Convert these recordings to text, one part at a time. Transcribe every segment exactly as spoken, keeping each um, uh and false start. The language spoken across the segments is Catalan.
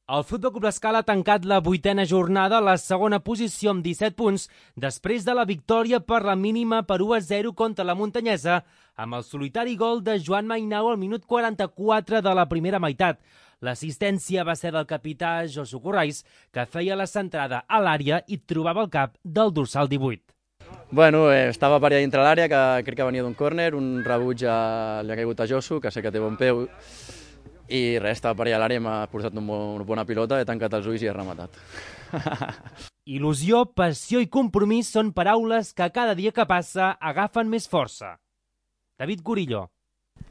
El Futbol Club L'Escala ha tancat la vuitena jornada a la segona posició amb disset punts després de la victòria per la mínima per u a zero contra la Muntanyesa amb el solitari gol de Joan Mainau al minut quaranta-quatre de la primera meitat. L'assistència va ser del capità Josu Corrais, que feia la centrada a l'àrea i trobava el cap del dorsal divuit. Bueno, eh, estava per allà dintre l'àrea, que crec que venia d'un córner, un rebuig a... li ha caigut a Josu, que sé que té bon peu, i res, estava per allà a l'àrea, m'ha posat una bona pilota, he tancat els ulls i he rematat. Il·lusió, passió i compromís són paraules que cada dia que passa agafen més força. David Gurillo.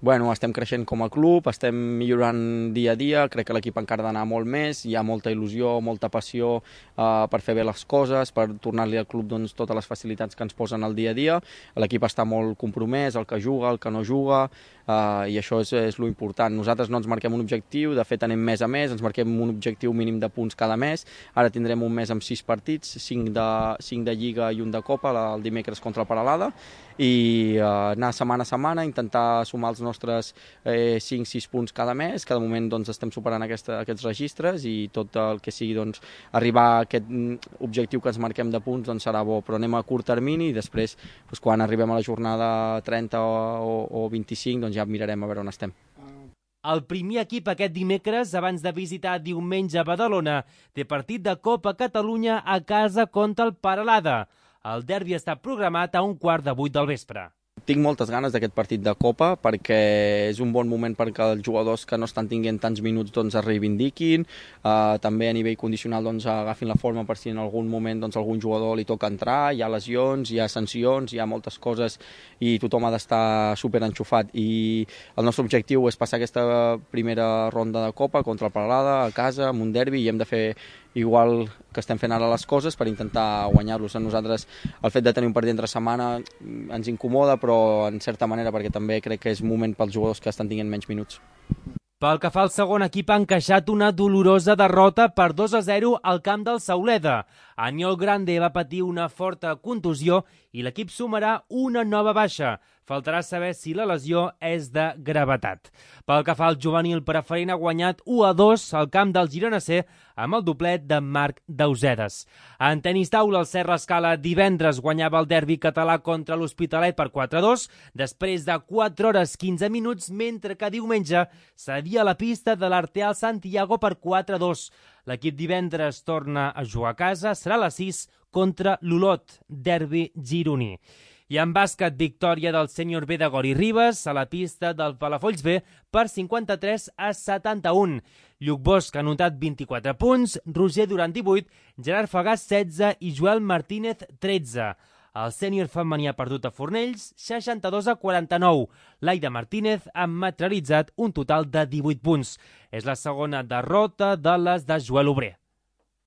Bueno, estem creixent com a club, estem millorant dia a dia, crec que l'equip encara ha d'anar molt més, hi ha molta il·lusió, molta passió eh, per fer bé les coses, per tornar-li al club doncs, totes les facilitats que ens posen al dia a dia. L'equip està molt compromès, el que juga, el que no juga, eh, i això és, és lo important. Nosaltres no ens marquem un objectiu, de fet anem mes a mes, ens marquem un objectiu mínim de punts cada mes, ara tindrem un mes amb sis partits, cinc de, cinc de Lliga i un de Copa, el dimecres contra el Peralada, i eh, anar setmana a setmana, intentar sumar els nostres eh, cinc sis punts cada mes. Cada moment doncs, estem superant aquesta, aquests registres i tot el que sigui doncs, arribar a aquest objectiu que ens marquem de punts doncs, serà bo, però anem a curt termini i després doncs, quan arribem a la jornada trenta o, o vint-i-cinc doncs, ja mirarem a veure on estem. El primer equip aquest dimecres, abans de visitar diumenge a Badalona, té partit de Copa Catalunya a casa contra el Peralada. El derbi està programat a un quart de vuit del vespre. Tinc moltes ganes d'aquest partit de Copa perquè és un bon moment perquè els jugadors que no estan tinguent tants minuts doncs, es reivindiquin, eh, també a nivell condicional doncs, agafin la forma per si en algun moment doncs, algun jugador li toca entrar, hi ha lesions, hi ha sancions, hi ha moltes coses i tothom ha d'estar superenxufat. I el nostre objectiu és passar aquesta primera ronda de Copa contra el Peralada, a casa, amb un derbi, i hem de fer igual que estem fent ara les coses per intentar guanyar-los. A nosaltres el fet de tenir un partit entre setmana ens incomoda, però en certa manera perquè també crec que és moment pels jugadors que estan tinguent menys minuts. Pel que fa al segon equip, ha encaixat una dolorosa derrota per dos a zero al camp del Sauleda. Aniol Grande va patir una forta contusió i l'equip sumarà una nova baixa. Faltarà saber si la lesió és de gravetat. Pel que fa al juvenil preferent, ha guanyat u a dos al camp del Girona C amb el doblet de Marc Dausedes. En tenis taula, el Serra Escala divendres guanyava el derbi català contra l'Hospitalet per quatre a dos, després de quatre hores quinze minuts, mentre que diumenge cedia la pista de l'Arteal Santiago per quatre a dos. L'equip divendres torna a jugar a casa, serà a les sis contra l'Olot, derbi gironí. I en bàsquet, victòria del sènior B de Gori Ribes a la pista del Palafolls B per cinquanta-tres a setanta-un. Lluc Bosch ha anotat vint-i-quatre punts, Roger Duran divuit, Gerard Fagàs setze i Joel Martínez tretze. El sènior femení ha perdut a Fornells seixanta-dos a quaranta-nou. Laida Martínez ha materialitzat un total de divuit punts. És la segona derrota de les de Joel Obrer.